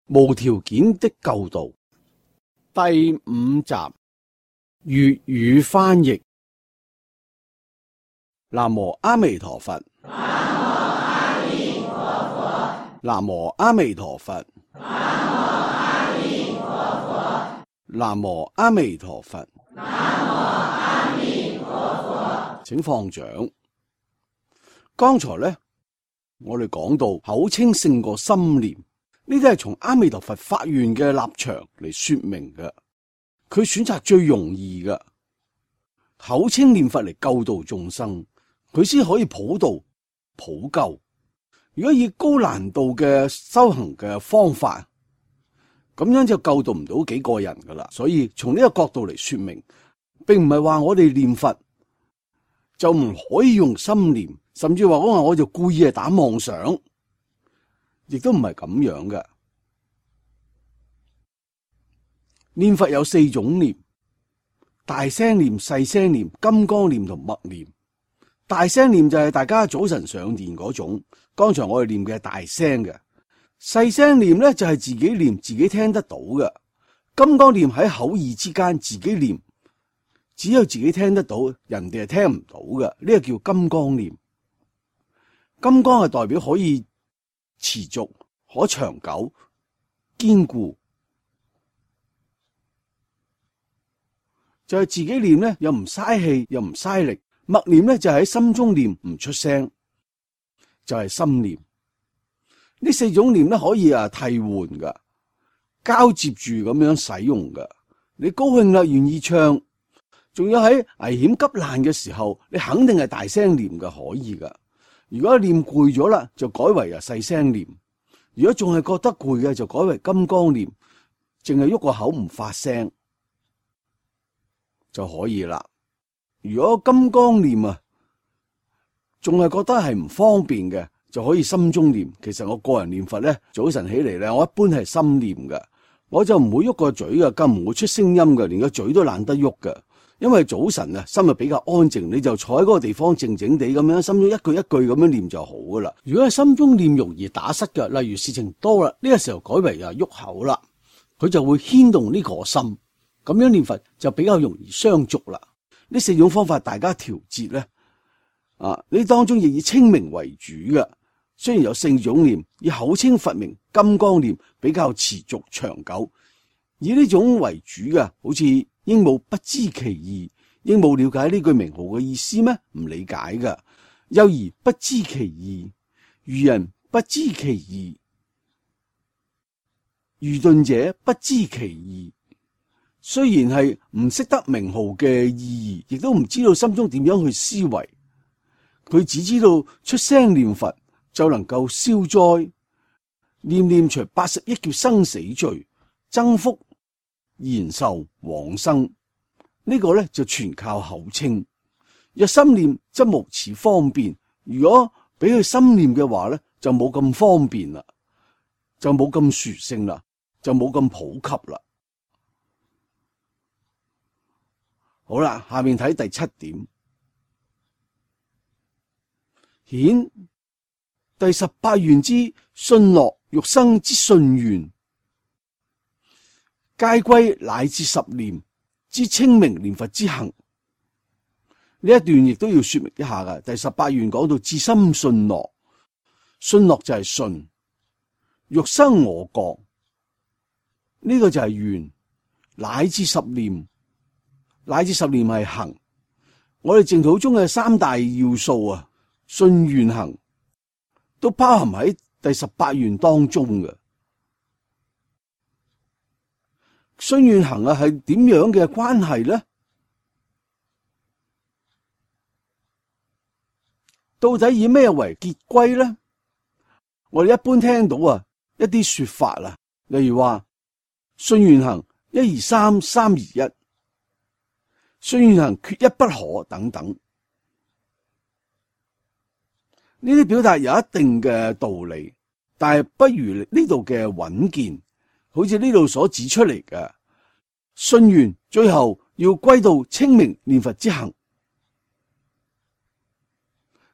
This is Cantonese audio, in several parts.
無條件的救度第5集粵語翻譯。南無阿彌陀佛。南無阿彌陀佛。南無阿彌陀佛。請放掌。剛才呢，我哋講到口稱勝過心念，呢啲係從阿彌陀佛發願嘅立場嚟說明嘅。佢選擇最容易嘅口稱念佛嚟救度眾生，佢先可以普度普救。如果以高難度嘅修行嘅方法，咁樣就救度唔到幾個人噶啦。所以從呢個角度嚟說明，並唔係話我哋念佛就唔可以用心念，甚至話我就故意係打妄想，亦都唔係咁樣嘅。念佛有4種念：大聲念、細聲念、金剛念同默念。大聲念就係大家早晨上殿嗰種，剛才我哋念嘅係大聲嘅。細聲念咧就係自己念，自己聽得到嘅。金剛念喺口耳之間自己念，只有自己聽得到，人哋係聽唔到嘅。呢個叫金剛念。金剛係代表可以持續、可長久、堅固。就係自己念咧，又唔嘥氣，又唔嘥力。默念咧就係喺心中念，唔出聲，就係心念。呢4種念咧可以替換噶，交接住咁樣使用噶。你高興啦，願意唱，仲有喺危險急難嘅時候，你肯定係大聲念噶，可以噶。如果念攰咗啦，就改為細聲念；如果仲係覺得攰嘅，就改為金剛念，淨係喐個口唔發聲就可以啦。如果金剛念仲係覺得係唔方便嘅，就可以心中念。其實我個人念佛咧，早晨起嚟咧，我一般係心念嘅，我就唔會喐個嘴嘅，更唔會出聲音嘅，連個嘴都懶得喐嘅。因為早晨心比較安靜，你就坐喺嗰個地方靜靜地咁樣，心中一句一句咁樣念就好噶啦。如果係心中念容易打失嘅，例如事情多啦，呢個時候改為喐口啦，佢就會牽動呢個心，咁樣念佛就比較容易相續啦。呢4種方法大家調節咧，呢當中亦以稱名為主嘅。雖然有4種念，以口稱佛名金剛念比較持續長久，以呢種為主嘅，好似鸚鵡不知其義，鸚鵡了解呢句名號嘅意思咩？唔理解嘅。幼兒不知其義，愚人不知其義，愚鈍者不知其義。雖然係唔識得名號嘅意義，亦都唔知道心中點樣去思維，佢只知道出聲念佛就能夠消災，念念除80億劫生死罪，增福延壽往生。呢個咧就全靠口稱。若心念則無此方便，如果俾佢心念嘅話咧，就冇咁方便啦，就冇咁殊勝啦，就冇咁普及啦。好啦，下面睇第7點，顯第18願之信樂欲生之信願，皆歸乃至10念之稱名念佛之行。呢一段亦都要說明一下噶。第18願講到至心信樂，信樂就係信，欲生我覺，呢個就係願，乃至10念。乃至10念係行，我哋淨土中嘅3大要素信願行都包含喺第18願當中嘅。信願行係點樣嘅關係咧？到底以咩為結歸咧？我哋一般聽到一啲說法例如話信願行1、2、3、3、2、1。信願行缺一不可等等，呢啲表達有一定嘅道理，但係不如呢度嘅穩健。好似呢度所指出嚟嘅信願，最後要歸到稱名念佛之行。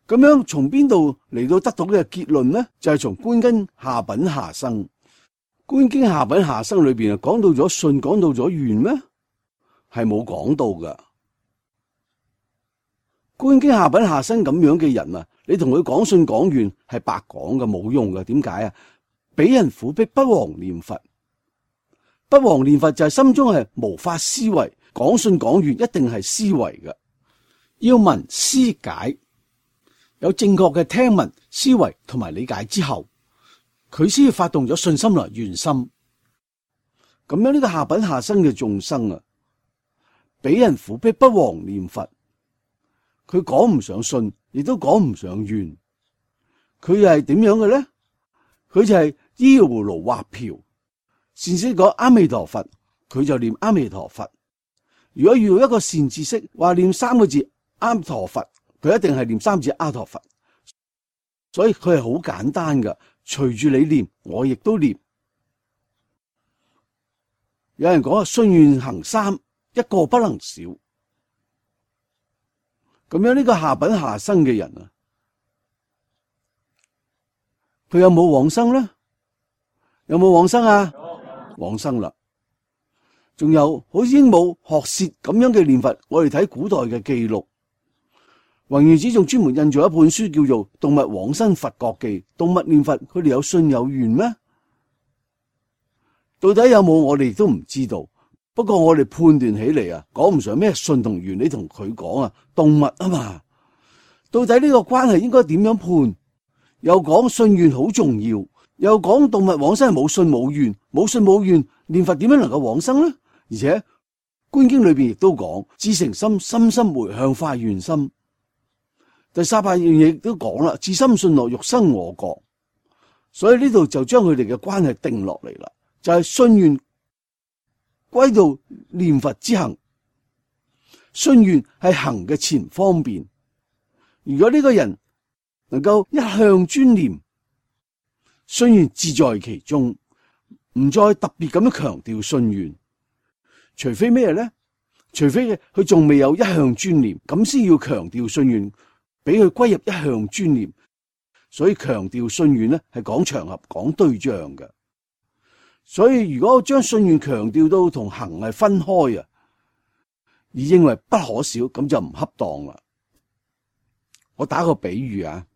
咁樣從邊度嚟到得到嘅結論呢？就係從觀根下品下生。觀經下品下生裏邊講到咗信，講到咗願咩？係冇講到噶。觀經下品下生咁樣嘅人啊，你同佢講信講願係白講嘅，冇用嘅。點解啊？俾人苦逼不忘念佛，不忘念佛就係心中係無法思維，講信講願一定係思維嘅，要聞思解，有正確嘅聽聞思維同埋理解之後，佢先至發動咗信心來願心。咁樣呢個下品下生嘅眾生啊，俾人苦逼不忘念佛，佢講唔上信，亦都講唔上願，佢又係點樣嘅咧？佢就係依葫蘆畫瓢，善知識講阿彌陀佛，佢就念阿彌陀佛。如果遇到一個善知識話念三個字阿彌陀佛，佢一定係念三個字阿陀佛。所以佢係好簡單噶，隨住你念，我亦都念。有人講信願行三，一個不能少。咁樣呢個下品下生嘅人啊，佢有冇往生咧？有冇往生啊？往生啦。仲有好似鸚鵡學舌咁樣嘅念佛，我哋睇古代嘅記錄，弘源寺仲專門印咗一本書叫做《動物往生佛國記》。動物念佛，佢哋有信有願咩？到底有冇我哋都唔知道。不過我哋判斷起嚟啊，講唔上咩信同願。你同佢講啊，動物啊嘛，到底呢個關係應該點樣判？又講信願好重要，又講動物往生係冇信冇願，冇信冇願，念佛點樣能夠往生呢？而且觀經裏邊亦都講至誠心，深深回向發願心。第三八樣嘢亦都講啦，至心信樂欲生我國。所以呢度就將佢哋嘅關係定落嚟啦，就係信願歸到念佛之行，信願係行嘅前方便。如果呢個人能夠一向專念，信願自在其中，唔再特別咁樣強調信願。除非咩咧？除非佢仲未有一向專念，咁先要強調信願，俾佢歸入一向專念。所以強調信願咧係講場合、講對象嘅。所以如果將信願強調到同行係分開啊，而認為不可少，咁就唔恰當啦。我打個比喻啊，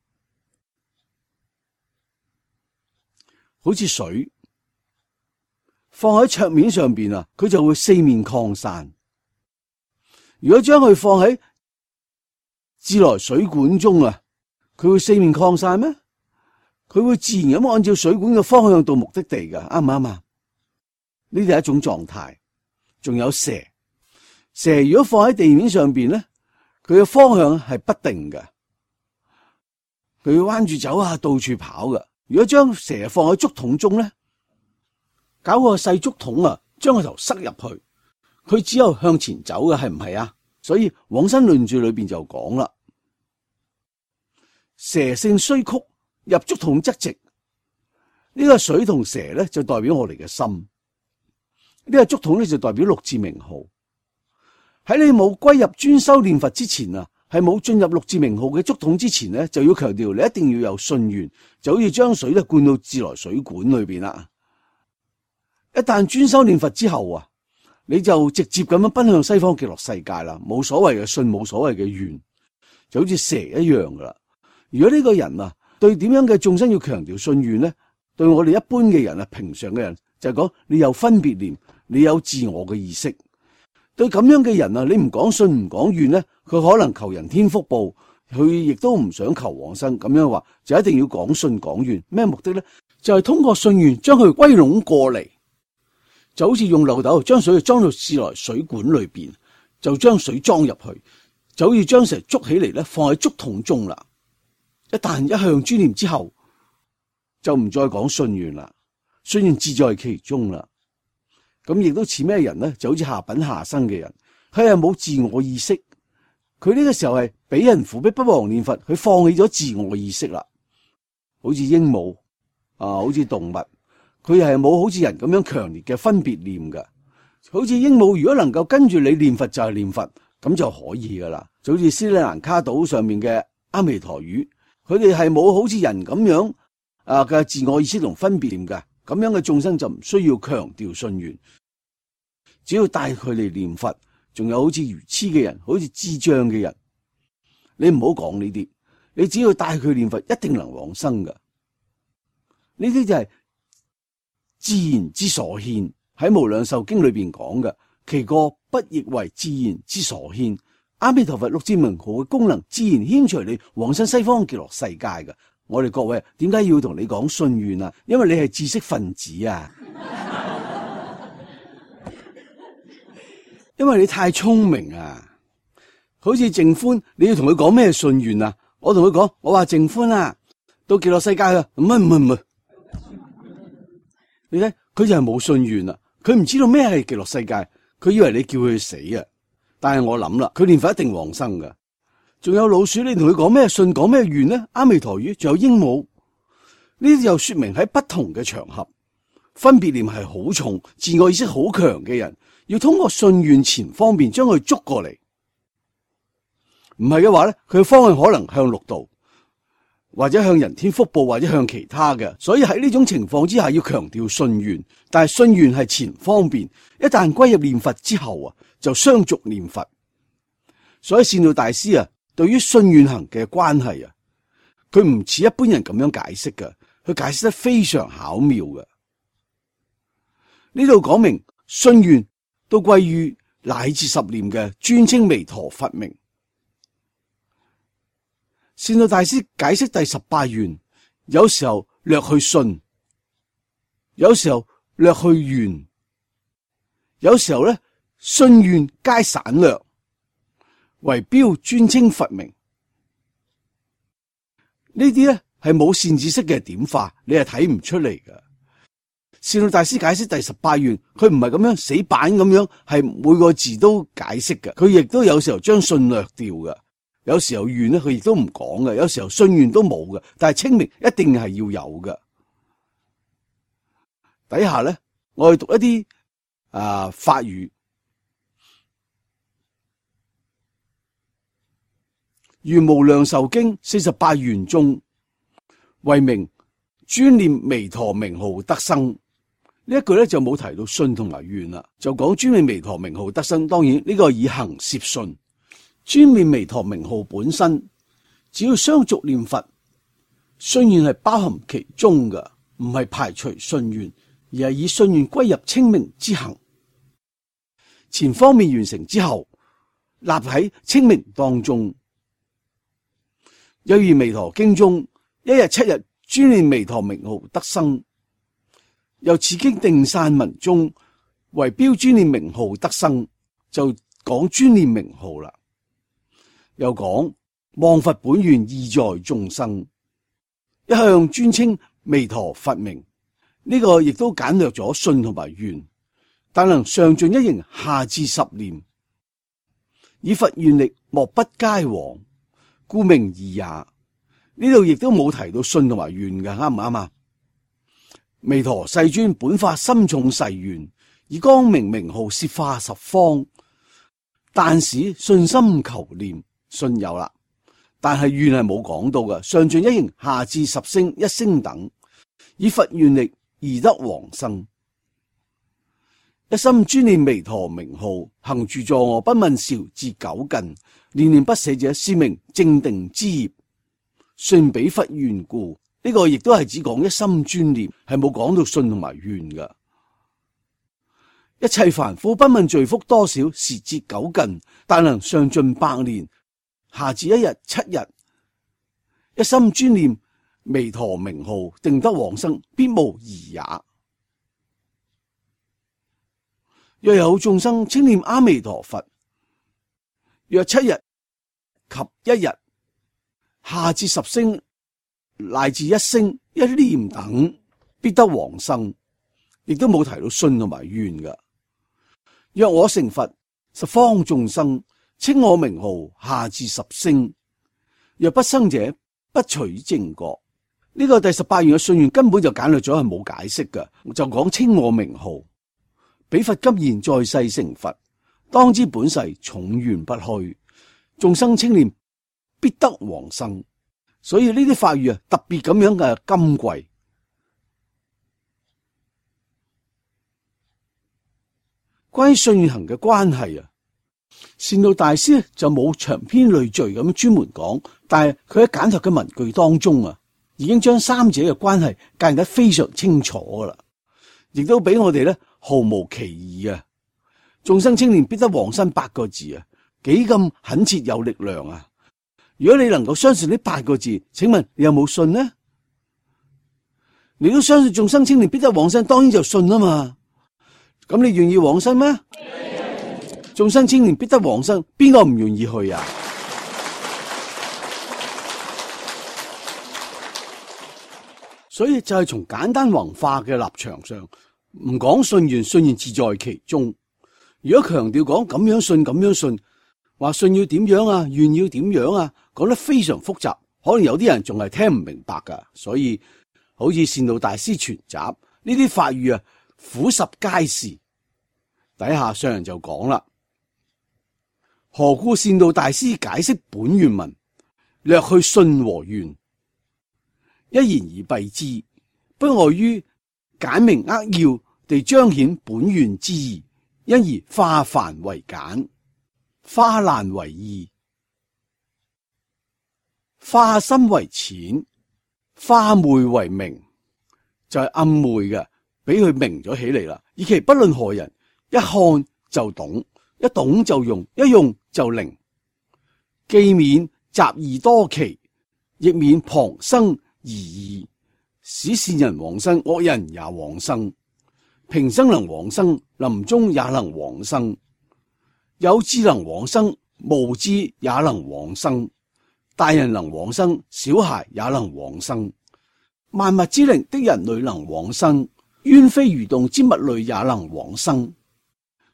好似水放喺桌面上邊啊，佢就會四面擴散。如果將佢放喺自來水管中啊，佢會四面擴散咩？佢會自然咁按照水管嘅方向到目的地噶，啱唔啱啊？呢啲係一種狀態。仲有蛇，蛇如果放喺地面上邊咧，佢嘅方向係不定嘅，佢會彎住走啊，到處跑噶。如果將蛇放喺竹筒中咧，搞個細竹筒啊，將個頭塞入去，佢只有向前走嘅，係唔係啊？所以往生論著裏邊就講啦，蛇性雖曲，入竹筒則直。呢個水同蛇咧就代表我哋嘅心，呢個竹筒咧就代表六字名號。喺你冇歸入專修念佛之前啊，係冇進入六字名號嘅竹筒之前咧，就要強調你一定要有信願，就好似將水咧灌到自來水管裏邊啦。一旦專修念佛之後啊，你就直接咁樣奔向西方極樂世界啦，冇所謂嘅信，冇所謂嘅願，就好似蛇一樣噶啦。如果呢個人啊，對點樣嘅眾生要強調信願咧，對我哋一般嘅人啊，平常嘅人就係講你有分別念，你有自我嘅意識。對咁樣嘅人啊，你唔講信唔講願咧，佢可能求人天福報，佢亦都唔想求往生。咁樣話就一定要講信講願，咩目的咧？就係通過信願將佢歸攏過嚟，就好似用漏斗將水裝到自來水管裏邊，就將水裝入去，就好似將蛇捉起嚟咧，放喺竹筒中啦。一旦一向專念之後，就唔再講信願啦，信願自在其中啦。咁亦都似咩人咧？就好似下品下生嘅人，佢係冇自我意識，佢呢個時候係俾人苦逼不忘念佛，佢放棄咗自我意識啦。好似鸚鵡啊，好似動物，佢係冇好似人咁樣強烈嘅分別念噶。好似鸚鵡如果能夠跟住你念佛就係念佛，咁就可以噶啦。就好似斯里蘭卡島上面嘅阿彌陀魚，佢哋係冇好似人咁樣嘅自我意識同分別念噶。咁樣嘅眾生就唔需要強調信願，只要帶佢嚟念佛。仲有好似愚痴嘅人，好似智障嘅人，你唔好講呢啲，你只要帶佢念佛，一定能往生噶。呢啲就係自然之所牽，喺《無量壽經》裏邊講嘅，其過不亦為自然之所牽。阿彌陀佛六字名號嘅功能，自然牽隨你往生西方極樂世界噶。我哋各位點解要同你講信願啊？因為你係知識分子啊。因為你太聰明啊，好似淨歡，你要同佢講咩信願啊？我同佢講，我話淨歡啊，到極樂世界啊，唔係，你睇佢就係冇信願啊，佢唔知道咩係極樂世界，佢以為你叫佢死啊。但係我諗啦，佢念佛一定往生噶。仲有老鼠，你同佢講咩信，講咩願呢？阿彌陀語，仲有鸚鵡，呢啲又說明喺不同嘅場合，分別念係好重、自我意識好強嘅人。要通過信願前方便將佢捉過嚟，唔係嘅話咧，佢嘅方向可能向六道，或者向人天福報，或者向其他嘅。所以喺呢種情況之下，要強調信願，但係信願係前方便，一旦歸入念佛之後啊，就相續念佛。所以善導大師啊，對於信願行嘅關係啊，佢唔似一般人咁樣解釋嘅，佢解釋得非常巧妙嘅。呢度講明信願都歸於乃至十念嘅專稱彌陀佛名。善導大師解釋第18願，有時候略去信，有時候略去願，有時候咧信願皆省略，為標專稱佛名。呢啲咧係冇善知識嘅點化，你係睇唔出嚟㗎。善導大師解釋第18願，佢唔係咁樣死板咁樣，係每個字都解釋嘅。佢亦都有時候將信略掉嘅，有時候願咧佢亦都唔講嘅，有時候信願都冇嘅。但係稱名一定係要有嘅。底下咧，我哋讀一啲法語。如無量壽經48願中，為名專念彌陀名號得生。呢一句咧就冇提到信同埋願啦，就講專念彌陀名號得生。當然呢個以行攝信，專念彌陀名號本身，只要相續念佛，信願係包含其中嘅，唔係排除信願，而係以信願歸入稱名之行。前方面完成之後，立喺稱名當中。又如彌陀經中，一日7日專念彌陀名號得生。又此經定散文中，為標專念名號得生，就講專念名號啦。又講望佛本願意在眾生，一向專稱彌陀佛名。呢個亦都簡略咗信同埋願，但能上盡一形，下至十念，以佛願力莫不皆往，故名義也。呢度亦都冇提到信同埋願嘅，啱唔啱啊？彌陀世尊本發深重誓願，以光明名號攝化十方，但使信心求念，信有啦，但係願係冇講到嘅。上盡一形，下至十聲一聲等，以佛願力而得往生。一心專念彌陀名號，行住坐臥不問韶至九近，念念不捨者，是名正定之業，信彼佛願故。呢個亦都係只講一心專念，係冇講到信同埋願噶。一切凡夫不問罪福多少，時至九近，但能上盡百年，下至一日7日，一心專念彌陀名號，定得往生，必無疑也。若有眾生稱念阿彌陀佛，若7日及1日，下至10聲，乃至一聲一念等，必得往生。亦都冇提到信同埋願噶。若我成佛，十方眾生稱我名號，下至10聲，若不生者，不取正覺。呢個第18願嘅信願根本就簡略咗，係冇解釋噶，就講稱我名號。彼佛今現在世成佛，當知本世重願不虛，眾生稱念必得往生。所以呢啲法語啊，特別咁樣嘅金貴。關於信與行嘅關係啊，善導大師就冇長篇累贅咁專門講，但係佢喺簡略嘅文句當中啊，已經將三者嘅關係介紹得非常清楚噶啦，亦都俾我哋咧毫無歧義啊！眾生青年必得往生8個字啊，幾咁懇切有力量啊！如果你能夠相信呢8個字，請問你有冇信呢？你都相信眾生青年必得往生，當然就信啊嘛。咁你願意往生咩？眾生青年必得往生，邊個唔願意去啊？所以就係從簡單宏化嘅立場上，唔講信願，信願自在其中。如果強調講咁樣信咁樣信，話信要點樣啊，願要點樣啊，講得非常複雜，可能有啲人仲係聽唔明白噶。所以好似善導大師全集呢啲法語啊，俯拾皆是。底下上人就講啦，何故善導大師解釋本願文，略去信和願，一言而蔽之，不外於簡明扼要地彰顯本願之意，因而化繁為簡，化難為易，化深為淺，化昧為明，就係暗昧嘅，俾佢明咗起嚟啦。以其不論何人，一看就懂，一懂就用，一用就靈，既免雜義多奇，亦免旁生疑義，使善人往生，惡人也往生。平生能往生，臨終也能往生。有智能往生，無智也能往生。大人能往生，小孩也能往生。萬物之靈的人類能往生，淵飛魚動之物類也能往生。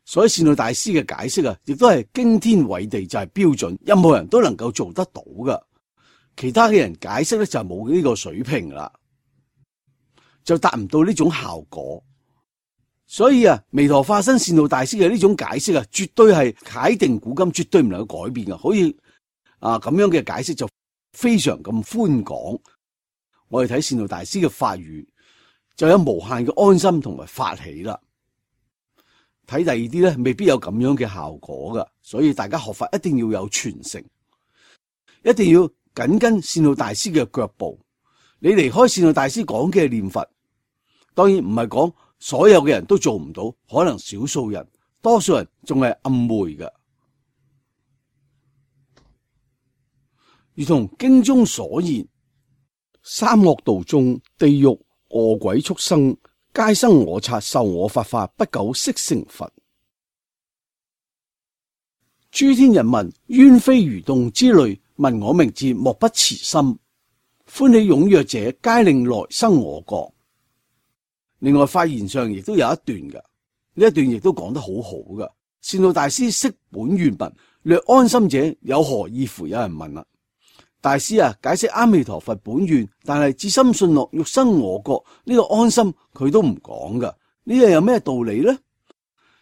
所以善導大師嘅解釋啊，亦都係驚天偉地，就係標準，任何人都能夠做得到噶。其他嘅人解釋咧就冇呢個水平啦，就達唔到呢種效果。所以啊，彌陀化身善導大師嘅呢種解釋啊，絕對係楷定古今，絕對唔能夠改變噶。好似咁樣嘅解釋就非常咁寬廣。我哋睇善導大師嘅法語，就有無限嘅安心同埋發起啦。睇第二啲咧，未必有咁樣嘅效果噶。所以大家學法一定要有傳承，一定要緊跟善導大師嘅腳步。你離開善導大師講嘅念佛，當然唔係講所有嘅人都做唔到，可能少數人，多數人仲係暗昧嘅。如同經中所言，三惡道中，地獄餓鬼畜生，皆生我剎，受我法化，不久悉成佛。諸天人民，淵飛魚動之類，聞我名字，莫不慈心，歡喜踴躍者，皆令來生我國。另外發言上亦都有一段嘅，呢一段亦都講得好好嘅。善導大師釋本願文，略安心者有何意乎？有人問啦，大師啊，解釋阿彌陀佛本願，但係至心信樂欲生我國呢個安心佢都唔講噶，呢樣有咩道理呢？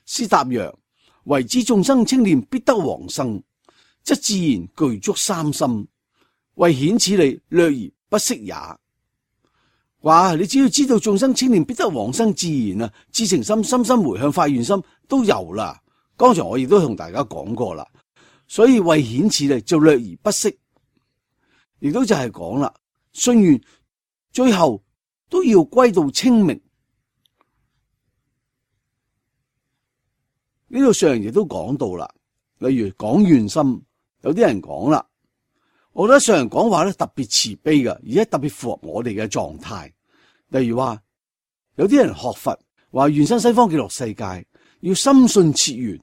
師答曰：唯知眾生青年必得往生，則自然具足三心，為顯此理，略而不息也。話你只要知道眾生青年必得往生，自然啊，至誠心、深深回向、發願心都有啦。剛才我亦都同大家講過啦，所以為顯此理就略而不息，亦都就係講啦，信願最後都要歸到清明。呢度上人亦都講到啦，例如講願心，有啲人講啦，我覺得上人講話咧特別慈悲嘅，而且特別符合我哋嘅狀態。例如話，有啲人學佛話願生西方極樂世界，要深信切願。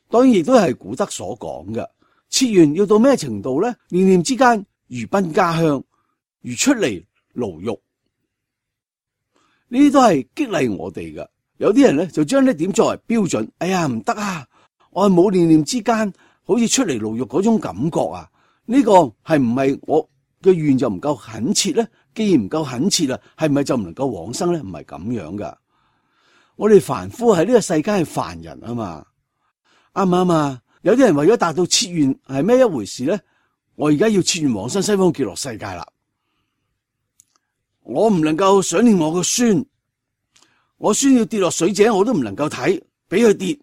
當然亦都係古德所講嘅，切願要到咩程度咧？念念之間如奔家鄉，如出嚟牢獄。呢啲都係激勵我哋嘅。有啲人咧就將呢點作為標準。哎呀，唔得啊！我係冇念念之間，好似出嚟牢獄嗰種感覺啊！呢個係唔係我嘅願就唔夠懇切咧？既然唔夠懇切啦，係咪就唔能夠往生咧？唔係咁樣噶。我哋凡夫喺呢個世界係凡人啊嘛，啱唔啱啊？有啲人為咗達到切願係咩一回事咧？我而家要切願往生西方極樂世界啦，我唔能夠想念我個孫，我孫要跌落水井我都唔能夠睇，俾佢跌。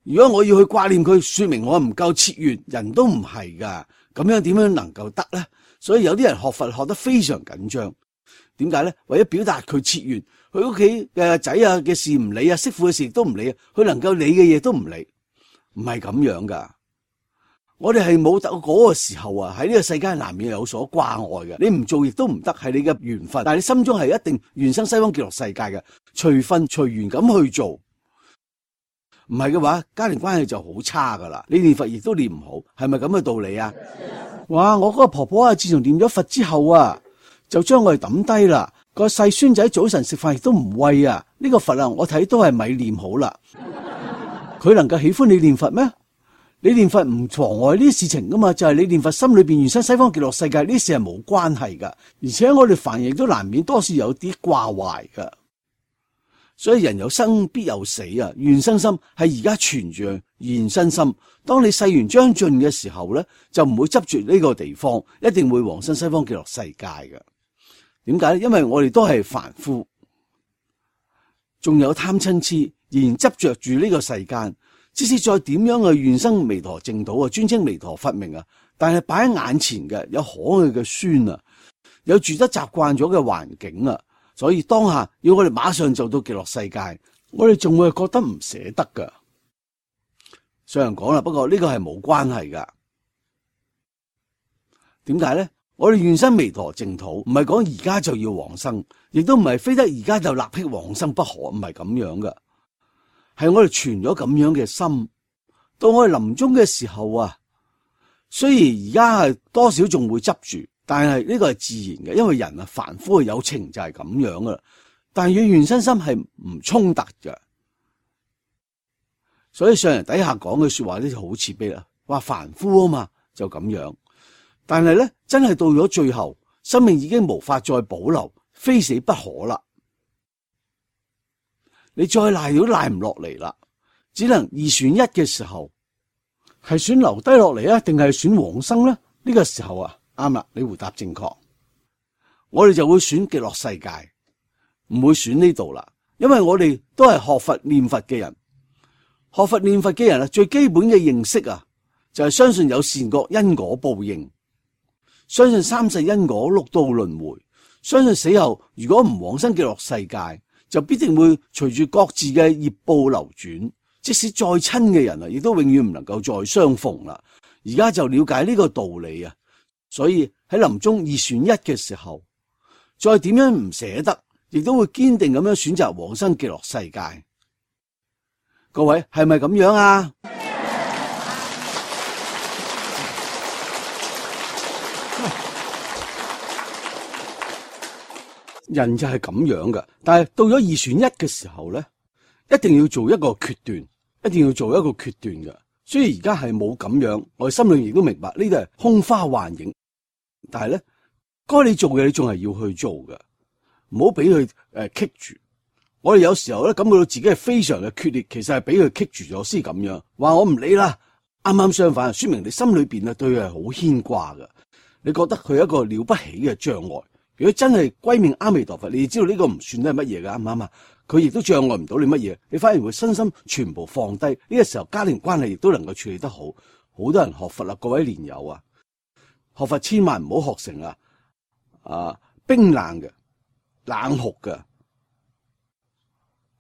如果我要去掛念佢，說明我唔夠切願，人都唔係噶，咁樣點樣能夠得呢？所以有啲人學佛學得非常緊張，點解呢？為咗表達佢切願，佢屋企嘅仔啊嘅事唔理啊，媳婦嘅事亦都唔理啊，佢能夠理嘅嘢都唔理，唔係咁樣噶。我哋係冇到嗰個時候啊，喺呢個世界難免有所掛礙嘅，你唔做亦都唔得，係你嘅緣分。但係你心中係一定願生西方極樂世界嘅，隨分隨緣咁去做。唔係嘅話，家庭關係就好差噶啦。你念佛亦都念唔好，係咪咁嘅道理啊？哇！我嗰個婆婆啊，自從念咗佛之後啊，就將我哋抌低啦。個細孫仔早晨食飯亦都唔餵啊。呢個佛啊，我睇都係咪念好啦。佢能夠喜歡你念佛咩？你念佛唔妨礙呢啲事情噶嘛，就係你念佛心裏邊願生西方極樂世界，呢啲事係冇關係噶。而且我哋凡人亦都難免多少有啲掛懷噶。所以人有生必有死啊！願生心係而家存住願生心。當你世緣將盡嘅時候咧，就唔會執住呢個地方，一定會往生西方極樂世界嘅。點解咧？因為我哋都係凡夫，仲有貪嗔痴，仍然執着住呢個世間。即使再點樣去願生彌陀淨土啊，專稱彌陀佛名啊，但係擺喺眼前嘅有可愛嘅孫啊，有住得習慣咗嘅環境啊。所以當下要我哋馬上就到極樂世界，我哋仲會覺得唔捨得噶。上人講啦，不過呢個係冇關係噶。點解咧？我哋願生彌陀淨土，唔係講而家就要往生，亦都唔係非得而家就立即往生不可，唔係咁樣噶。係我哋存咗咁樣嘅心，到我哋臨終嘅時候啊，雖然而家係多少仲會執住。但係呢個係自然嘅，因為人啊凡夫嘅有情就係咁樣噶啦。但係與願生心係唔衝突嘅，所以上人底下講嘅說話呢就好慈悲啦，話凡夫啊嘛就咁樣。但係咧真係到咗最後，生命已經無法再保留，非死不可啦。你再賴都賴唔落嚟啦，只能二選一嘅時候，係選留低落嚟啊，定係選往生咧？呢個時候啊。啱啦，你回答正確，我哋就會選極樂世界，唔會選呢度啦。因為我哋都係學佛念佛嘅人，學佛念佛嘅人啊，最基本嘅認識啊，就係相信有善惡因果報應，相信三世因果六道輪迴，相信死後如果唔往生極樂世界，就必定會隨住各自嘅業報流轉，即使再親嘅人啊，亦都永遠唔能夠再相逢啦。而家就了解呢個道理啊。所以喺臨終二選一嘅時候，再點樣唔捨得，亦都會堅定咁樣選擇往生極樂世界。各位係咪咁樣啊？人就係咁樣噶，但係到咗二選一嘅時候咧，一定要做一個決斷，一定要做一個決斷嘅。雖然而家係冇咁樣，我哋心裏亦都明白呢啲係空花幻影。但係咧，該你做嘅你仲係要去做嘅，唔好俾佢棘住。我哋有時候咧感覺到自己係非常嘅決裂，其實係俾佢棘住咗先咁樣。話我唔理啦，啱啱相反，說明你心裏邊啊對佢係好牽掛嘅。你覺得佢係一個了不起嘅障礙。如果真係歸命阿彌陀佛，你知道呢個唔算得係乜嘢噶，啱唔啱啊？佢亦都障礙唔到你乜嘢，你反而會身心全部放低。呢個時候家庭關係亦都能夠處理得好。好多人學佛啦，各位蓮友啊！學佛千萬唔好學成冰冷嘅、冷酷嘅、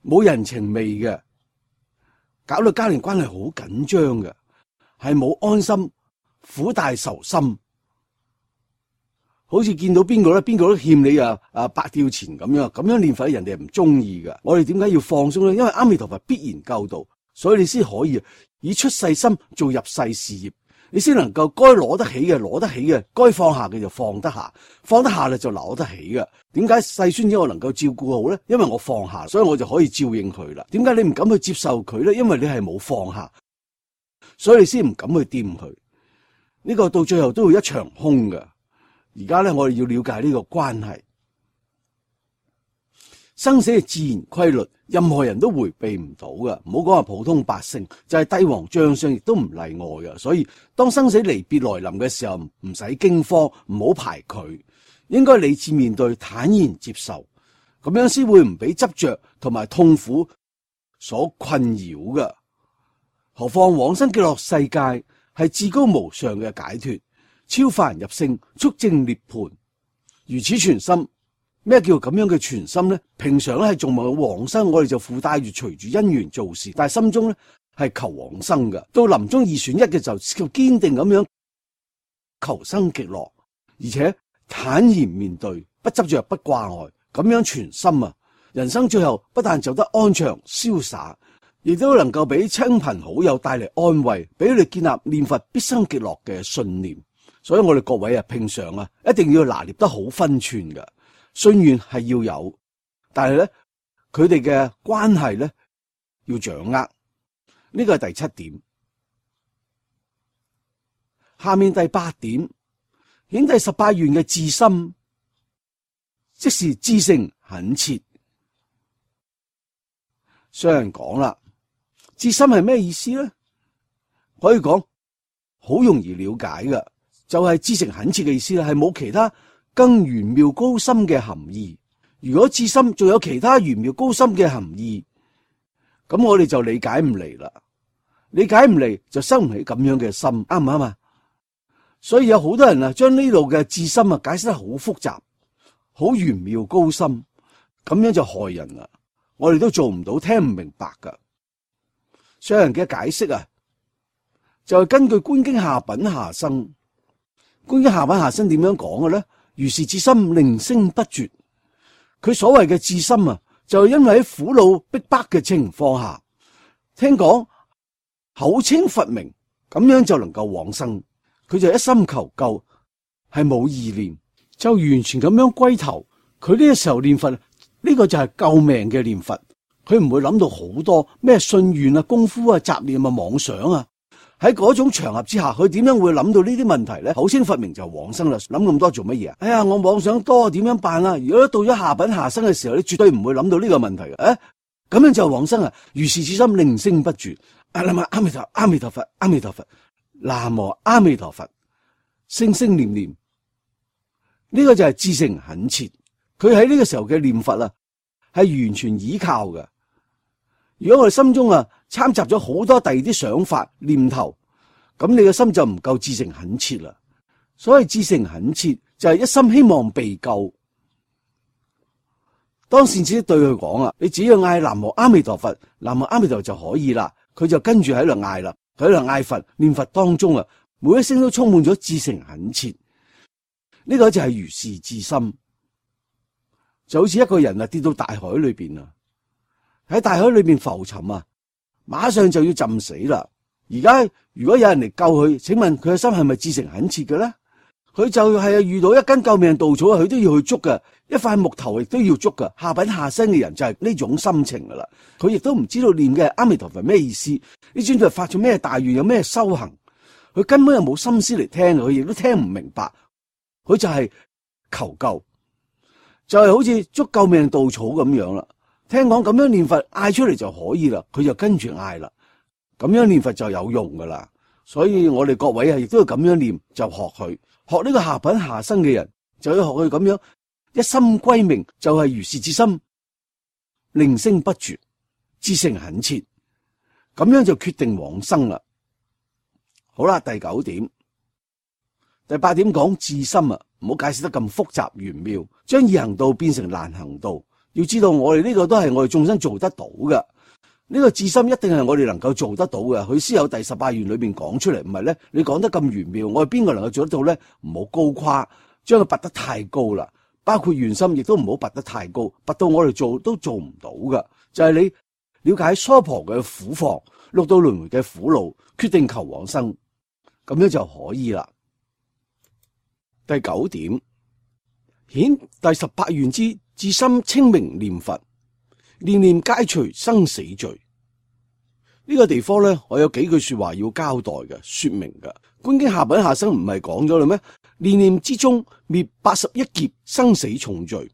冇人情味嘅，搞到家庭關係好緊張嘅，係冇安心、苦大仇深，好似見到邊個咧，邊個都欠你百吊錢咁樣念佛，人哋係唔中意嘅。我哋點解要放鬆咧？因為阿彌陀佛必然救度，所以你先可以以出世心做入世事業。你先能夠該攞得起嘅攞得起嘅，該放下嘅就放得下，放得下咧就攞得起嘅。點解細孫子我能夠照顧好咧？因為我放下，所以我就可以照應佢啦。點解你唔敢去接受佢咧？因為你係冇放下，所以你先唔敢去掂佢。呢個到最後都會一場空嘅。而家咧，我哋要了解呢個關係。生死嘅自然規律，任何人都回避唔到嘅。唔好講話普通百姓，就係帝王將相亦都唔例外嘅。所以當生死離別來臨嘅時候，唔使驚慌，唔好排拒，應該理智面對，坦然接受，咁樣先會唔俾執着同埋痛苦所困擾嘅。何況往生極樂世界係至高無上嘅解脫，超凡入聖，速證涅槃。如此全心，咩叫咁樣嘅全心呢？平常咧係仲冇往生，我哋就附帶住隨住因緣做事，但係心中咧係求往生嘅。到臨終二選一嘅就堅定咁樣求生極樂，而且坦然面對，不執着，不掛礙，咁樣全心啊！人生最後不但走得安詳瀟灑，亦都能夠俾親朋好友帶嚟安慰，俾佢哋建立念佛必生極樂嘅信念。所以我哋各位啊，平常啊，一定要拿捏得好分寸嘅。信願係要有，但係咧，佢哋嘅關係咧要掌握。呢個係第7點。下面第8點，顯第18願嘅至心，即是至誠懇切。上人講啦，至心係咩意思咧？可以講好容易了解嘅，就係至誠懇切嘅意思啦，係冇其他更玄妙高深嘅含義。如果至心仲有其他玄妙高深嘅含義，咁我哋就理解唔嚟啦。理解唔嚟就生唔起咁樣嘅心，啱唔啱啊？所以有好多人啊，將呢度嘅至心啊解釋得好複雜、好玄妙高深，咁樣就害人啦。我哋都做唔到，聽唔明白噶。上人嘅解釋啊，就係根據觀經下品下生。觀經下品下生點樣講嘅咧？如是至心，令聲不絕。佢所謂嘅至心啊，就係因為喺苦惱逼迫嘅情況下，聽講口稱佛名，咁樣就能夠往生。佢就一心求救，係冇意念，就完全咁樣歸頭。佢呢個時候念佛，呢個就係救命嘅念佛。佢唔會諗到好多咩信願啊、功夫啊、雜念啊、妄想啊。喺嗰種場合之下，佢點樣會諗到呢啲問題咧？口稱佛名就往生啦，諗咁多做乜嘢啊？哎呀，我妄想多，點樣辦啊？如果到咗下品下生嘅時候，你絕對唔會諗到呢個問題嘅。咁樣就往生啊！如是至心，令聲不絕。南無阿彌陀佛，阿彌陀佛，阿彌陀佛，南無阿彌陀佛，聲聲念念。呢個就係至誠懇切。佢喺呢個時候嘅念佛啊，係完全依靠嘅。如果我哋心中啊摻雜咗好多第二啲想法念頭，咁你嘅心就唔夠至誠懇切啦。所謂至誠懇切就係一心希望被救。當善知識對佢講啊，你只要嗌南無阿彌陀佛，南無阿彌陀佛就可以啦。佢就跟住喺度嗌啦，佢喺度嗌佛，念佛當中啊，每一聲都充滿咗至誠懇切。呢個就係如是至心，就好似一個人啊跌到大海裏邊啊，喺大海裏邊浮沉啊，馬上就要浸死啦。而家如果有人嚟救佢，請問佢嘅心係咪至誠懇切嘅咧？佢就係遇到一根救命稻草，佢都要去捉嘅，一塊木頭亦都要捉嘅。下品下生嘅人就係呢種心情噶啦。佢亦都唔知道念嘅阿彌陀佛咩意思，呢尊佛發咗咩大願，有咩修行，佢根本又冇心思嚟聽，佢亦都聽唔明白。佢就係求救，就係好似捉救命稻草咁樣啦。聽講咁樣念佛嗌出嚟就可以啦，佢就跟住嗌啦。咁樣念佛就有用噶啦。所以我哋各位啊，亦都要咁樣念，就學佢，學呢個下品下生嘅人，就要學佢咁樣一心歸命，就係如是至心，令聲不絕，至誠懇切，咁樣就決定往生啦。好啦，第9點。第8點講至心啊，唔好解釋得咁複雜玄妙，將易行道變成難行道。要知道我哋呢個都係我哋眾生做得到嘅，呢個至心一定係我哋能夠做得到嘅。佢先有第18願裏邊講出嚟，唔係咧，你講得咁玄妙，我哋邊個能夠做得到咧？唔好高誇，將佢拔得太高啦。包括願心亦都唔好拔得太高，拔到我哋做都做唔到嘅。就係你了解娑婆嘅苦況、六道輪迴嘅苦惱，決定求往生，咁樣就可以啦。第9點，顯第18願之至心清明念佛，念念皆除生死罪。呢個地方咧，我有幾句說話要交代嘅，說明嘅。觀經下品下生唔係講咗啦咩？念念之中滅81劫生死重罪。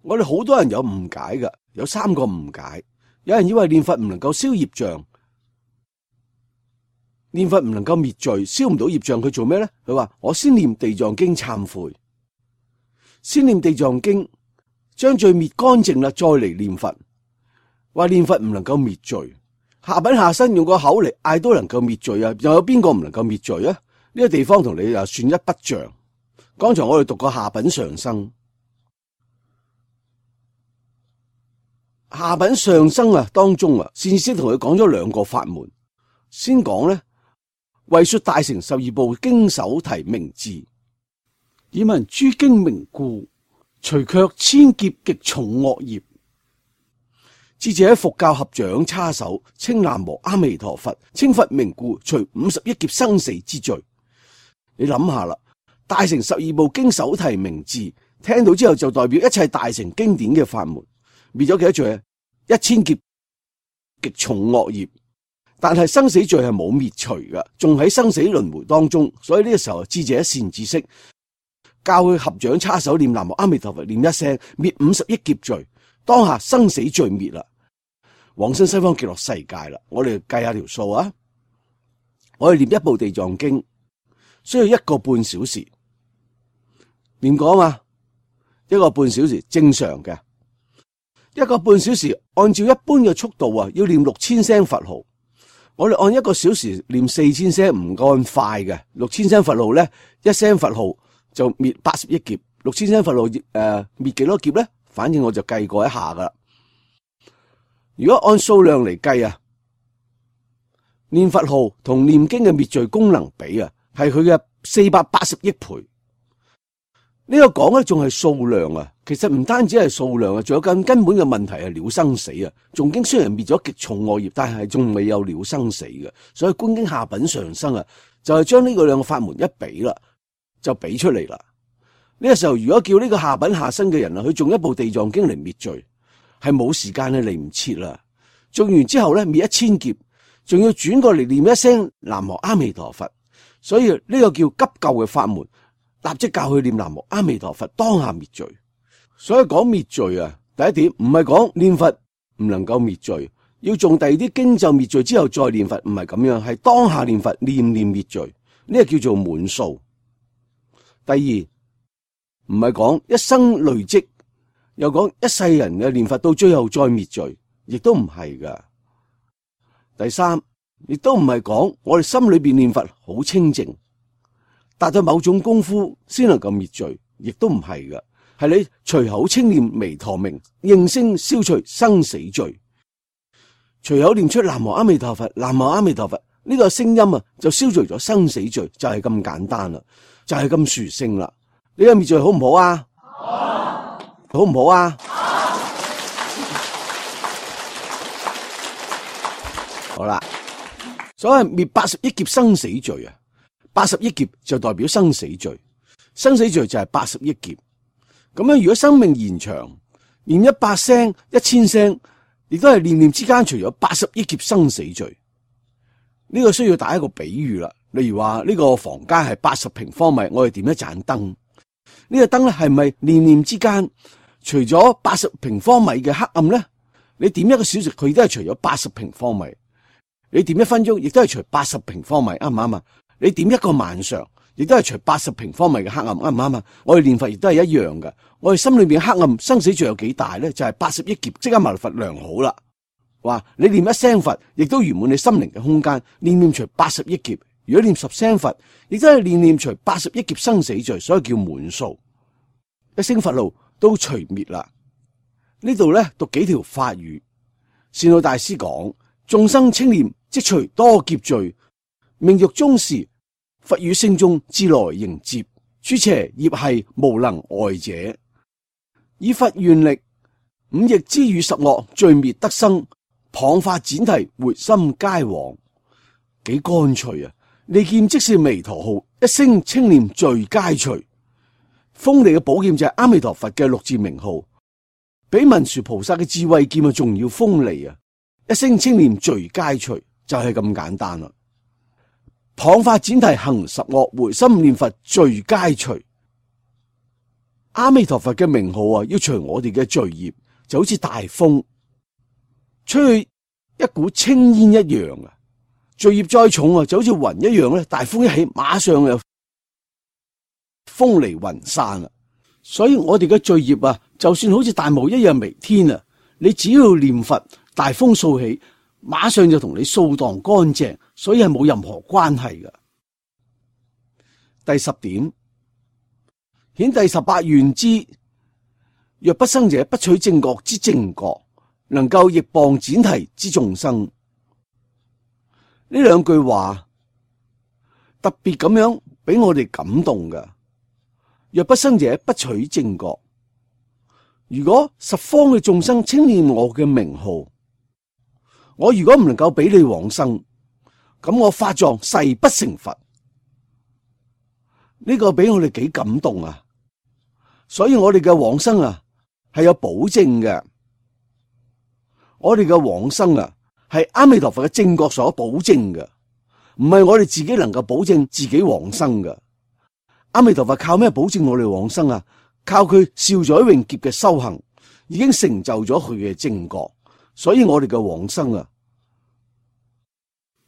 我哋好多人有誤解嘅，有3個誤解。有人以為念佛唔能夠消業障，念佛唔能夠滅罪，消唔到業障，佢做咩咧？佢話我先念地藏經懺悔，先念地藏經將罪滅乾淨啦，再嚟念佛。話念佛唔能夠滅罪，下品下生用個口嚟嗌都能夠滅罪啊！又有邊個唔能夠滅罪啊？呢個地方同你又算一筆賬。剛才我哋讀過下品上生，下品上生啊當中啊，善知識同佢講咗兩個法門。先講咧，為說大乘十二部經手提名字，以聞諸經名故，除卻千劫極重惡業。智者喺佛教合掌叉手，稱南無阿彌陀佛，稱佛名故，除50億劫生死之罪。你諗下啦，大乘十二部經手提名字，聽到之後就代表一切大乘經典嘅法門，滅咗幾多罪啊？1000劫極重惡業。但係生死罪係冇滅除㗎，仲喺生死輪迴當中。所以呢個時候，智者善知識教佢合掌叉手念南無阿彌陀佛，念一聲滅50億劫罪，當下生死罪滅啦，往生西方極樂世界啦。我哋計下條數啊，我哋念一部地藏經需要1個半小時，念過嘛？1個半小時正常嘅，1個半小時按照一般嘅速度啊，要念6000聲佛號。我哋按1個小時念4000聲，唔按快嘅。6000聲佛號咧，一聲佛號就滅80億劫。6000聲佛號滅幾多劫咧？反正我就計過一下噶啦。如果按數量嚟計啊，念佛號同念經嘅滅罪功能比啊，係佢嘅480億倍。呢個講咧仲係數量啊，其實唔單止係數量啊，仲有更根本嘅問題係了生死啊。誦經雖然滅咗極重惡業，但係仲未有了生死嘅，所以觀經下品上生啊，就係將呢個兩個法門一比啦，就比出嚟啦。呢個時候如果叫呢個下品下生嘅人啊，去誦一部地藏經嚟滅罪，係冇時間去嚟唔切啦。誦完之後咧滅1000劫，仲要轉過嚟念一聲南無阿彌陀佛，所以呢個叫急救嘅法門。立即教佢念南無阿彌陀佛，當下滅罪。所以講滅罪啊，第一點唔係講念佛唔能夠滅罪，要誦第二啲經咒滅罪之後再念佛，唔係咁樣，係當下念佛，念念滅罪，呢個叫做滿數。第二唔係講一生累積，又講一世人嘅念佛到最後再滅罪，亦都唔係噶。第三亦都唔係講我哋心裏邊念佛好清淨，達到某種功夫先能夠滅罪，亦都唔係嘅，係你隨口稱念彌陀名，應聲消除生死罪。隨口念出南無阿彌陀佛，南無阿彌陀佛，呢個聲音啊，就消除咗生死罪，就係咁簡單啦，就係咁殊勝啦。呢個滅罪好唔好啊？好唔好啊？好啦，所謂滅80億劫生死罪啊。80億劫就代表生死罪，生死罪就係80億劫。咁樣如果生命延長，念100聲、1000聲，亦都係念念之間除咗80億劫生死罪。呢個需要打一個比喻啦。例如話呢個房間係80平方米，我哋點一盞燈，呢個燈咧係咪念念之間除咗80平方米嘅黑暗咧？你點1個小時，佢都係除咗80平方米；你點1分鐘，亦都係除80平方米，啱唔啱啊？你點1個晚上，亦都係除80平方米嘅黑暗，啱唔啱啊？我哋念佛亦都係一樣嘅。我哋心裏邊黑暗生死罪有幾大咧？就係80億劫，即刻埋佛良好啦。話你念一聲佛，亦都圓滿你心靈嘅空間，念念除80億劫。如果念10聲佛，亦都係念念除80億劫生死罪，所以叫滿數。一聲佛號都除滅啦。呢度咧讀幾條法語。善導大師講：眾生稱念即除多劫罪。命欲終時，佛與聲中自來迎接，諸邪業係無能礙者。以佛願力，5逆之與10惡罪滅得生，謗法闡提回心皆往。幾乾脆啊！利劍即是彌陀號，一聲稱念罪皆除。鋒利嘅寶劍就係阿彌陀佛嘅6字名號，比文殊菩薩嘅智慧劍啊仲要鋒利啊！一聲稱念罪皆除，就係咁簡單啦。謗法闡提行10惡，回心念佛罪皆除。阿彌陀佛嘅名號啊，要除我哋嘅罪業，就好似大風吹去一股青煙一樣啊！罪業再重啊，就好似雲一樣咧，大風一起，馬上又風離雲散啦。所以我哋嘅罪業啊，就算好似大霧一樣彌天啊，你只要念佛，大風掃起，馬上就同你掃蕩乾淨，所以係冇任何關係嘅。第10點，顯第18願之，若不生者，不取正覺之正覺，能夠逆謗闡提之眾生。呢兩句話特別咁樣俾我哋感動嘅。若不生者，不取正覺。如果十方嘅眾生稱念我嘅名號，我如果唔能夠俾你往生，咁我法藏誓不成佛。呢個俾我哋幾感動啊！所以我哋嘅往生啊係有保證嘅。我哋嘅往生啊係阿彌陀佛嘅正覺所保證嘅，唔係我哋自己能夠保證自己往生嘅。阿彌陀佛靠咩保證我哋往生啊？靠佢少載永劫嘅修行，已經成就咗佢嘅正覺，所以我哋嘅往生啊，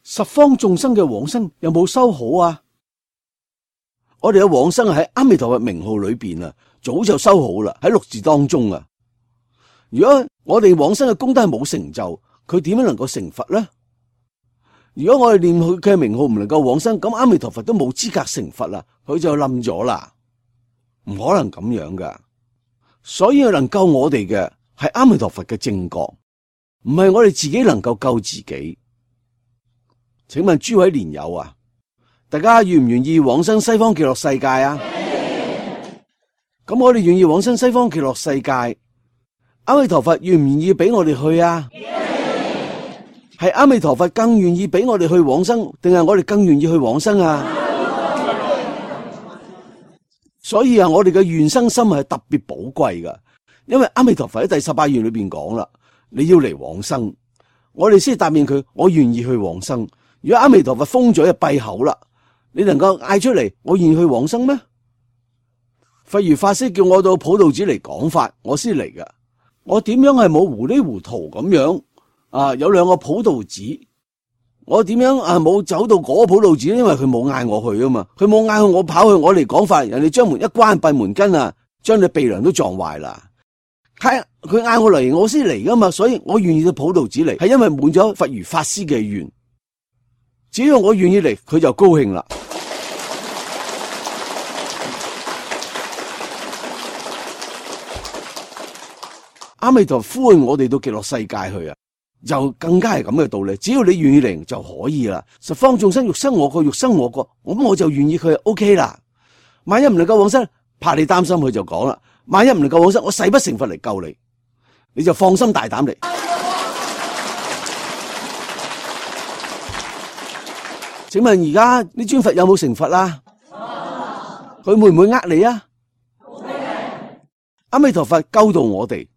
十方眾生嘅往生有冇修好啊？我哋嘅往生喺阿彌陀佛名號裏邊啊，早就修好啦，喺六字當中啊。如果我哋往生嘅功德係冇成就，佢點樣能夠成佛呢？如果我哋念佢嘅名號唔能夠往生，咁阿彌陀佛都冇資格成佛啦，佢就冧咗啦，唔可能咁樣噶。所以能救我哋嘅係阿彌陀佛嘅正覺，唔係我哋自己能夠救自己。請問諸位蓮友啊，大家願唔願意往生西方極樂世界啊？咁我哋願意往生西方極樂世界，阿彌陀佛願唔願意俾我哋去啊？係阿彌陀佛更願意俾我哋去往生，定係我哋更願意去往生啊？所以啊，我哋嘅願生心係特別寶貴噶，因為阿彌陀佛喺第18願裏邊講啦，你要嚟往生，我哋先答應佢，我願意去往生。如果阿彌陀佛封嘴就閉口啦，你能夠嗌出嚟，我願意去往生咩？佛如法師叫我到普道寺嚟講法，我先嚟噶，我點樣係冇糊裡糊塗咁樣？有2個普道寺，我點樣冇走到嗰個普道寺？因為佢冇嗌我去啊嘛，佢冇嗌我跑去，我嚟講法，人哋將門一關閉門根啊，將你鼻梁都撞壞啦。佢嗌我嚟，我先嚟噶嘛，所以我願意到普道寺嚟，係因為滿咗佛如法師嘅願。只要我願意嚟，佢就高興啦。阿彌陀佛呼喚我哋到極樂世界去啊！就更加係咁嘅道理，只要你願意嚟就可以啦。十方眾生欲生我國，欲生我國，咁我就願意佢 OK 啦。萬一唔能夠往生，怕你擔心，佢就講啦。萬一唔能夠往生，我誓不成佛嚟救你，你就放心大膽嚟。請問而家呢尊佛有冇成佛啦？佢會唔會呃你啊？阿彌陀佛救度我哋。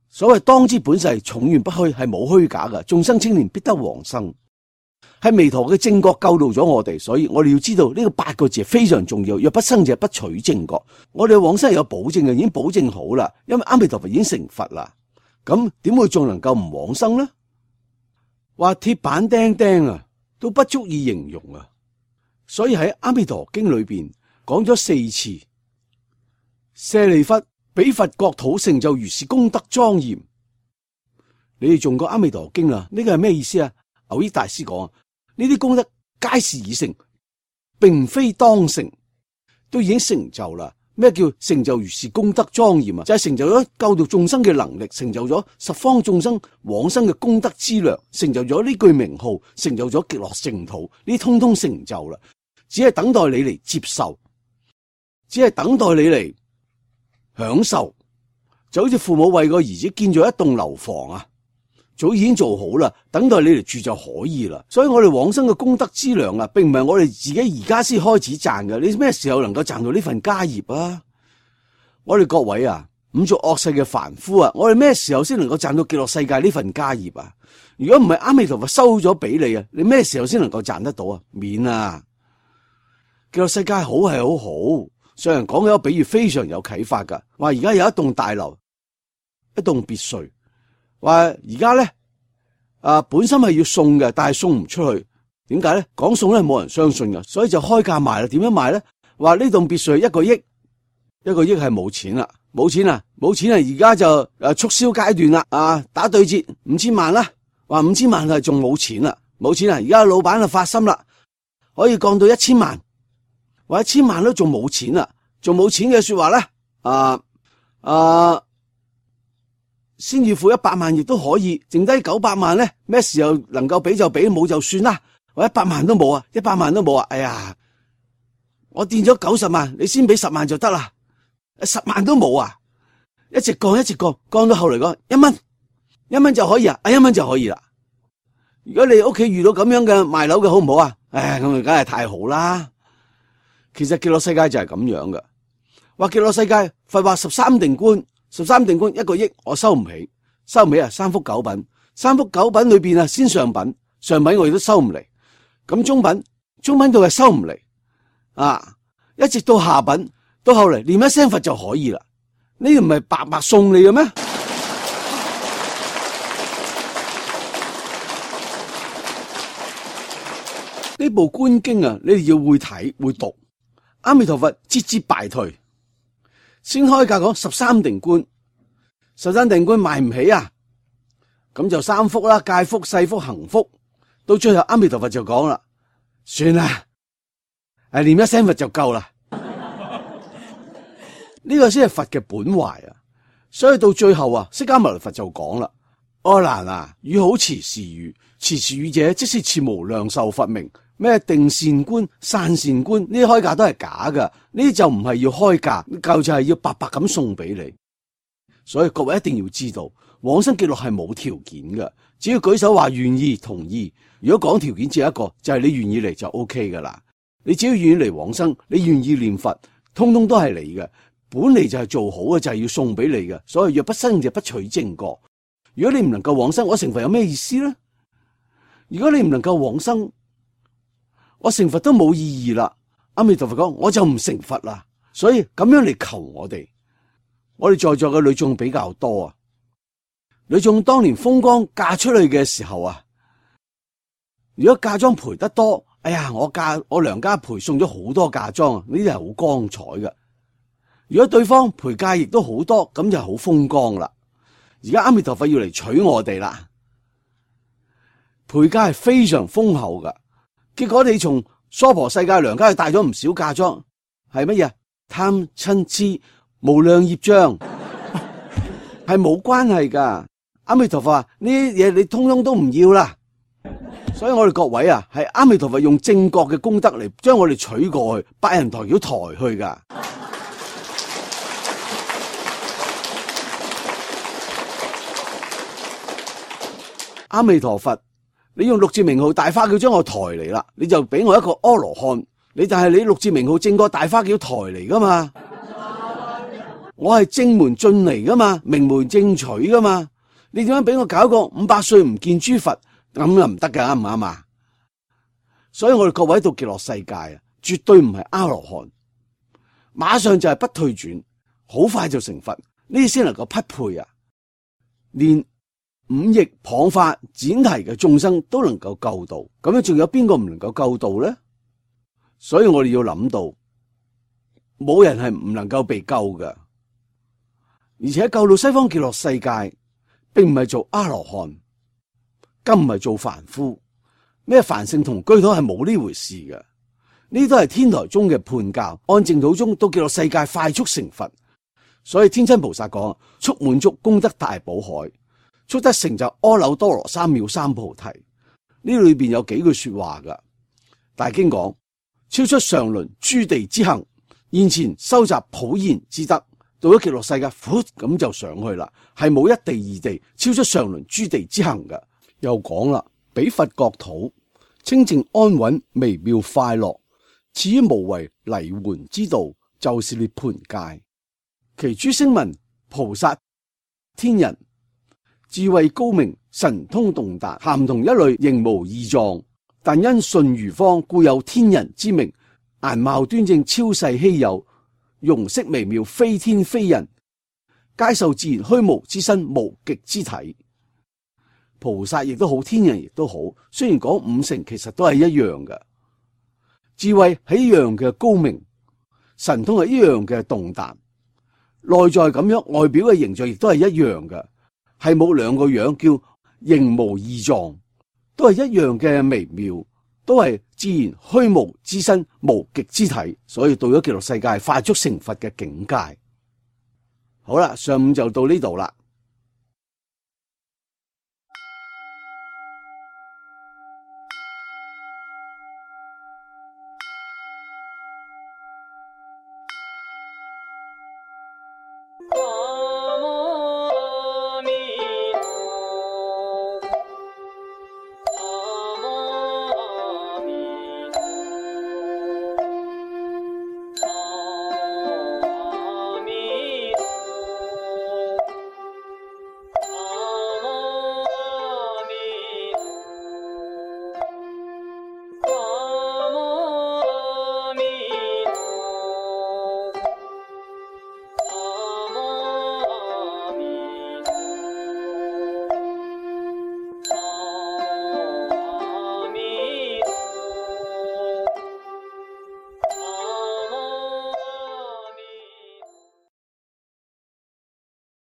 所謂當知本誓，重願不虛，係冇虛假噶。眾生青年必得往生，係彌陀嘅正覺救度咗我哋，所以我哋要知道呢個8個字係非常重要。若不生者，不取正覺。我哋嘅往生係有保證嘅，已經保證好啦。因為阿彌陀佛已經成佛啦，咁點會仲能夠唔往生呢？話鐵板釘釘啊，都不足以形容啊。所以喺阿彌陀經裏邊講咗4次，舍利弗。比佛國土成就如是功德莊嚴，你哋誦過阿彌陀經啦？呢個係咩意思啊？蕅益大師講，呢啲功德皆是已成，並非當成，都已經成就啦。咩叫成就如是功德莊嚴啊？就係成就咗救度眾生嘅能力，成就咗十方眾生往生嘅功德資糧，成就咗呢句名號，成就咗極樂淨土，呢通通成就啦。只係等待你嚟接受，只係等待你嚟享受，就好似父母為個兒子建咗一棟樓房啊，早已經做好啦，等待你嚟住就可以啦。所以我哋往生嘅功德資糧啊，並唔係我哋自己而家先開始賺嘅。你咩時候能夠賺到呢份家業啊？我哋各位啊，五濁惡世嘅凡夫啊，我哋咩時候先能夠賺到極樂世界呢份家業啊？如果唔係阿彌陀佛收咗俾你啊，你咩時候先能夠賺得到啊？免啊！極樂世界好係好好。上人講嘅一個比喻非常有啟發噶，話而家有一棟大樓，一棟別墅，話而家咧本身係要送嘅，但係送唔出去，點解咧？講送咧冇人相信噶，所以就開價賣啦。點樣賣咧？話呢棟別墅係1個億，1個億係冇錢啦，冇錢啊，冇錢啊，而家就促銷階段啦，打對折5000萬啦，話5000萬係仲冇錢啦，冇錢啊，而家老闆就發心啦，可以降到1000萬，話1000萬都仲冇錢啦，仲冇錢嘅說話咧，先要付100萬亦都可以，剩低900萬咧，咩時候能夠俾就俾，冇就算啦，或100萬都冇啊，100萬都冇啊，哎呀，我墊咗90萬，你先俾10萬就得啦。10萬都冇啊！一直降，降到後嚟講1蚊就可以啊！1蚊就可以啦。如果你屋企遇到咁樣嘅賣樓嘅好唔好啊？咁梗係太好啦。其實極樂世界就係咁樣嘅。話極樂世界佛話13定觀1個億，我收唔起啊！三福九品裏邊啊，先上品我亦都收唔嚟。咁中品度係收唔嚟一直到下品。到後嚟念一聲佛就可以啦，呢個唔係白白送你嘅咩？呢部觀經啊，你哋要會睇會讀。阿彌陀佛節節敗退，先開價講13定觀賣唔起啊，咁就三福啦，戒福、世福、行福。到最後阿彌陀佛就講啦，算啦，念一聲佛就夠啦。呢個先係佛嘅本懷啊，所以到最後釋迦牟尼佛就講啦：阿難啊，汝好持是語，持是語者，即是持無量壽佛名。咩定善觀、散善觀，呢啲開價都係假噶，呢啲就唔係要開價，夠就係要白白咁送俾你。所以各位一定要知道，往生極樂係冇條件嘅，只要舉手話願意同意。如果講條件只有一個，就係你願意嚟就 OK 噶啦。你只要願意嚟往生，你願意念佛，通通都係你嘅。本嚟就係做好嘅，就係要送俾你嘅。所以若不生就不取正覺。如果你唔能夠往生，我成佛有咩意思咧？如果你唔能夠往生，我成佛都冇意義啦。阿彌陀佛講，我就唔成佛啦。所以咁樣嚟求我哋在座嘅女眾比較多啊。女眾當年風光嫁出去嘅時候如果嫁妝賠得多，哎呀，我娘家賠送咗好多嫁妝，呢啲係好光彩嘅。如果對方賠嫁亦都好多，咁就好風光啦。而家阿彌陀佛要嚟娶我哋啦，賠嫁係非常豐厚噶。結果你從娑婆世界娘家去帶咗唔少嫁妝，係乜嘢？貪嗔癡無量業障，係冇關係噶。阿彌陀佛話呢啲嘢你通通都唔要啦。所以我哋各位係阿彌陀佛用正覺嘅功德嚟將我哋娶過去，百人抬轎抬去噶。阿彌陀佛，你用六字名號大花轎將我抬嚟啦，你就俾我一個阿羅漢，但係你六字名號正覺大花轎抬嚟噶嘛？我係正門進嚟噶嘛，名門正娶噶嘛？你點樣俾我搞個500歲唔見諸佛，咁又唔得噶，啱唔啱啊？所以我哋各位到極樂世界絕對唔係阿羅漢，馬上就係不退轉，好快就成佛，呢啲先能夠匹配啊！連5逆謗法剪題嘅眾生都能夠救到，咁樣仲有邊個唔能夠救到咧？所以我哋要諗到，冇人係唔能夠被救嘅，而且救到西方極樂世界，並唔係做阿羅漢，更唔係做凡夫，咩凡聖同居土係冇呢回事嘅，呢都係天台宗嘅判教，按淨土宗到極樂世界快速成佛。所以天親菩薩講，速滿足功德大寶海，速得成就阿耨多羅三藐三菩提。呢裏邊有幾句說話噶，大經講超出常倫諸地之行，現前收集普賢之德，到咗極樂世界，咁就上去啦，係冇一地二地，超出常倫諸地之行噶。又講啦，彼佛國土清淨安穩微妙快樂，此於無為離緩之道，就是涅槃界。其諸聲聞菩薩天人智慧高明，神通洞達，咸同一類，仍無異狀，但因順如方，故有天人之名。顏貌端正，超世稀有，容色微妙，非天非人，皆受自然虛無之身，無極之體。菩薩亦都好，天人亦都好，雖然講五乘，其實都係一樣嘅，智慧係一樣嘅高明，神通係一樣嘅洞達。內在咁樣，外表嘅形象亦都係一樣嘅，係冇兩個樣，叫形無二狀，都係一樣嘅微妙，都係自然虛無之身，無極之體，所以到咗極樂世界，快速成佛嘅境界。好啦，上午就到呢度啦。